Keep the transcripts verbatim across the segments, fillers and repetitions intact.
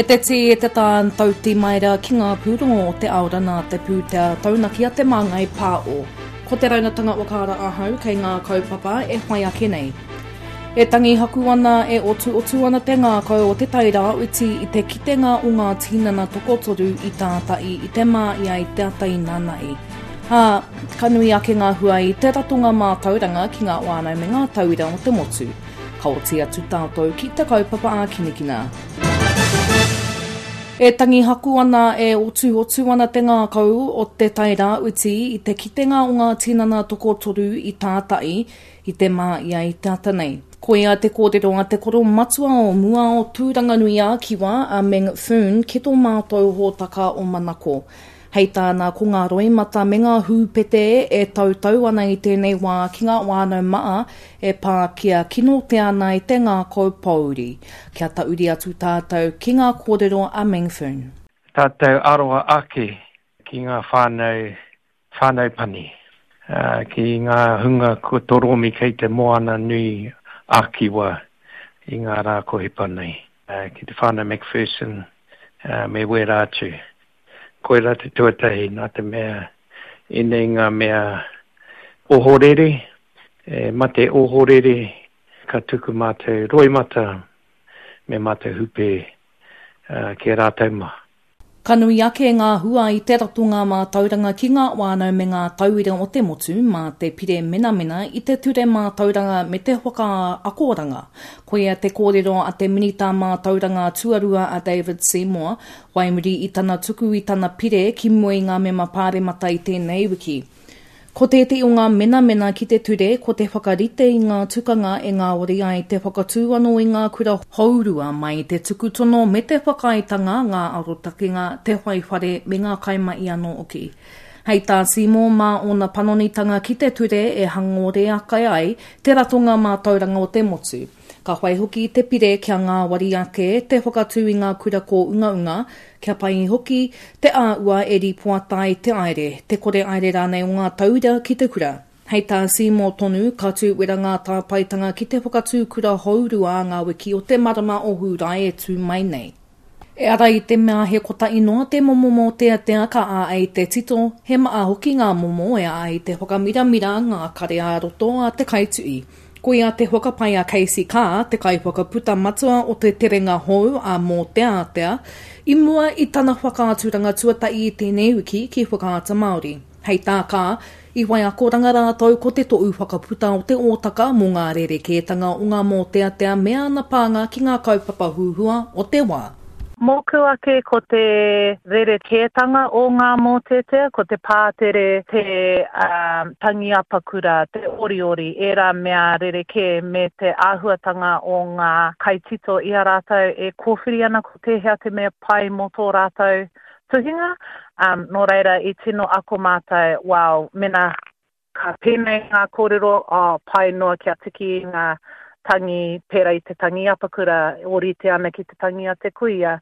E te tī, e te tā, tauti mai rā ki ngā pūrongo o te aora nā te pūtea taunaki a Te Māngai Pāo. Ko te raunatanga whakaara ahau kei ngā kaupapa e whai ake nei. E tangi haku ana, e otuotu ana te ngākau o Te Tai Rāwhiti i te kitenga o ngā tinana tokotoru i tātai i te māia i te ata inānahi. Ā, ka nui ake ngā hua i te ratonga mātauranga ki ngā whānau me ngā tauira o te motu. Ka oti atu tātou ki te kaupapa ākinakina. E tangi haku ana, e otuotu ana te ngākau o Te Tai Rāwhiti i te kitenga o ngā tinana tokotoru i tātai i te māia i te ata nei. Koia te kōrero a te koro matua o mua o Tūranganui-ā-Kiwa, a Meng Foon, ki tō mātou hōtaka o Manako. Hei tāna, ko ngā roimata me ngā hūpete e tautau ana i tēnei wā ki ngā whānau maa e pā kia kinotea ana i te ngākau pōuri. Kia tauri atu tātou ki ngā kōrero a Meng Foon. Tātou aroha ake ki ngā whānau, whānau pani, ki ngā hunga kua toromi kei te moana nui ā-Kiwa i ngā rā ko hipa nei, ki te whānau McPherson me wērā atu. Koirā te tuatahi, nā te mea ēnei ngā mea ohorere, e mate ohorere, ka tuku mātou roimata me mātou hupe ki a rātou mā. Ka nui ake ngā hua i te ratonga mātauranga ki ngā whānau me ngā tauira o te motu mā te pire menamena i te ture mātauranga me te whakaakoranga. Koia te kōrero a te Minita Mātauranga Tuarua a David Seymour, whai muri i tana tuku i tana pire ki mua i ngā mema pāremata i tēnei wiki. Ko tētehi o ngā menamena ki te ture ko te whakarite i ngā tukanga e ngāwari ai te whakatū anō i ngā kura hourua mai i te tuku tono me te whakaaetanga, ngā arotakenga, te whai whare me ngā kaimahi anō hoki. Hei tā Seymour mā ōna panonitanga ki te ture e hangore ake ai te ratonga mātauranga o te motu. Ka whai hoki te pire kia ngāwari ake te whakatū i ngā kura kōungaunga, kia pai hoki te āhua e rīpoata ai te aere, te kore aere rānei o ngā tauira ki te kura. Hei tā Seymour tonu, ka tū wera ngā tāpaetanga ki te whakatū kura hourua ngā wiki o te marama o Hūrae e tū mai nei. E ara i te mea he kotahi noa te momo mōteatea ka āhei te tito, he maha hoki ngā momo e āhei te whakamiramira ngā kare ā-roto a te kaituhi. Koia te whakapae a Casey Carr, te kaiwhakaputa matua o te terenga hou a Mōteatea, i mua i tana whakaaturanga tuatahi i tēnei wiki ki Whakaata Māori. Hei tā Carr, i whai akoranga rātou ko te tohu whakaputa o te ōtaka mō ngā rerekētanga o ngā mōteatea me ana pānga ki ngā kaupapa huhua o te wā. Mōku ake ko te rerekētanga o ngā mōteatea, ko te pātere, te um, tangi apakura, te oriori, ērā mea rerekē me te āhuatanga o ngā kaitito i a rātou e kōwhiri ana ko tēhea te mea pai mō tō rātou tuhinga. Um, nō reira i tino ako mātou, wow, mena ka pēnei ngā kōrero, oh, pai noa kia tiki i ngā tangi pērā i te tangi apakura, ōrite ana ki te tangi a te kuia.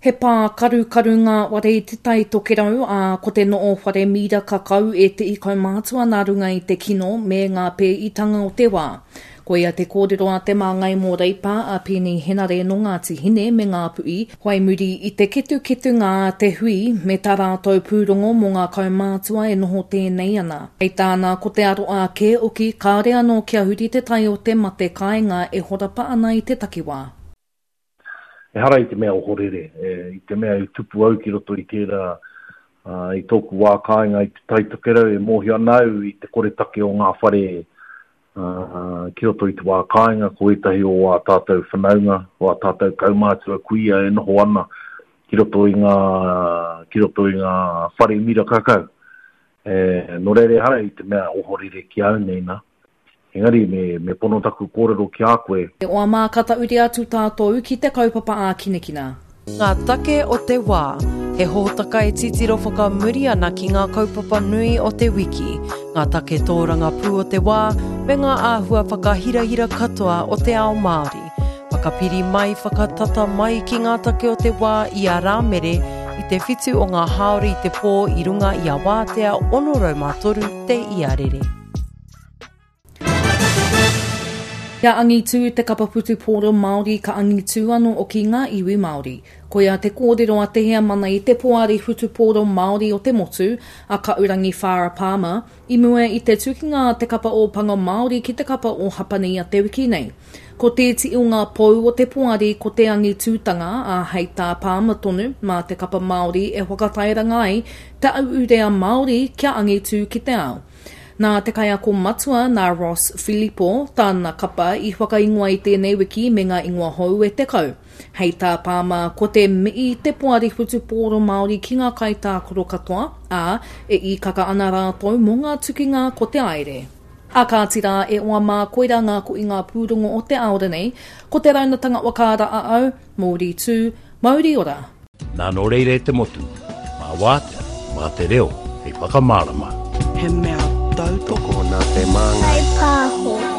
He pā karukaru ngā ware i Te Tai Tokerau, ā, ko te noo whare miraka kau ētehi kaumātua nā runga i te kino me ngā pēitanga o te wā. Koia te kōrero a te māngai mō Reipa, a Peeni Henare nō Ngāti Hine me Ngāpuhi, whai muri i te ketuketunga a te hui me tā rātou pūrongo mō ngā kaumātua e noho tēnei ana. Hei tāna, ko te aroā kē hoki, kāore anō kia huri te tai o te mate kāinga e horapa ana i te takiwā. Ehara i te mea ohorere, i te mea i tupu au ki roto i tērā, i tōku wā kāinga i Te Tai Tokerau, e mōhio ana au i te koretake o ngā whare ki roto i te wā kāinga, ko ētahi o ā tātou whanaunga, o ā tātou kaumātua kuia e noho ana ki roto i ngā, ki roto i ngā whare miraka kau. E, nō reira ehara i te mea ohorere ki a au nei nā. Engari me, me pono taku kōrero ki a koe. E oa mā, ka tauri atu tātou ki te kaupapa ākinakina. Ngā take o te wā. He hōtaka e titiro whakamuri ana ki ngā kaupapa nui o te wiki, ngā take tōrangapū o te wā, me ngā āhua whakahirahira katoa o te ao Māori. Whakapiri mai, whakatata mai ki ngā take o te wā i a Rāmere i te whitu o ngā hāora i te pō i runga i a Wātea ono rau mā toru te iarere. Kia angitū te kapa whutupōro Māori ka angitū anō oki ngā iwi Māori. Koia te kōrero a te heamana i te Poari Whutupōro Māori o te motu, a Kaurangi Farah Palmer, i mua i te tukinga a te kapa Ōpango Māori ki te kapa o Hapani a te wiki nei. Ko tēti o ngā pou o te poari ko te angitūtanga, ā, hei tā Palmer tonu, mā te kapa Māori e whakatairanga ai te auurea Māori kia angitū ki te ao. Nā te kaiako matua, nā Ross Filipo, tāna kapa i whakaingoa i tēnei wiki me ngā ingoa hou e tekau. Hei tā Palmer, ko te mihi te poari whutupōro Māori ki ngā kaitākaro katoa, ā, e īkaka ana rātou mō ngā tukinga ko te aere. A kāti rā, e oa mā, koirā ngā kohinga pūrongo o te aora nei, ko te raunatanga whakaara a au, Mauri tū, mauri ora. Nā nō reira e te motu, mā wātea, mā te reo, hei whakamārama. He mea tautoko nā te māngai. Kaipāho.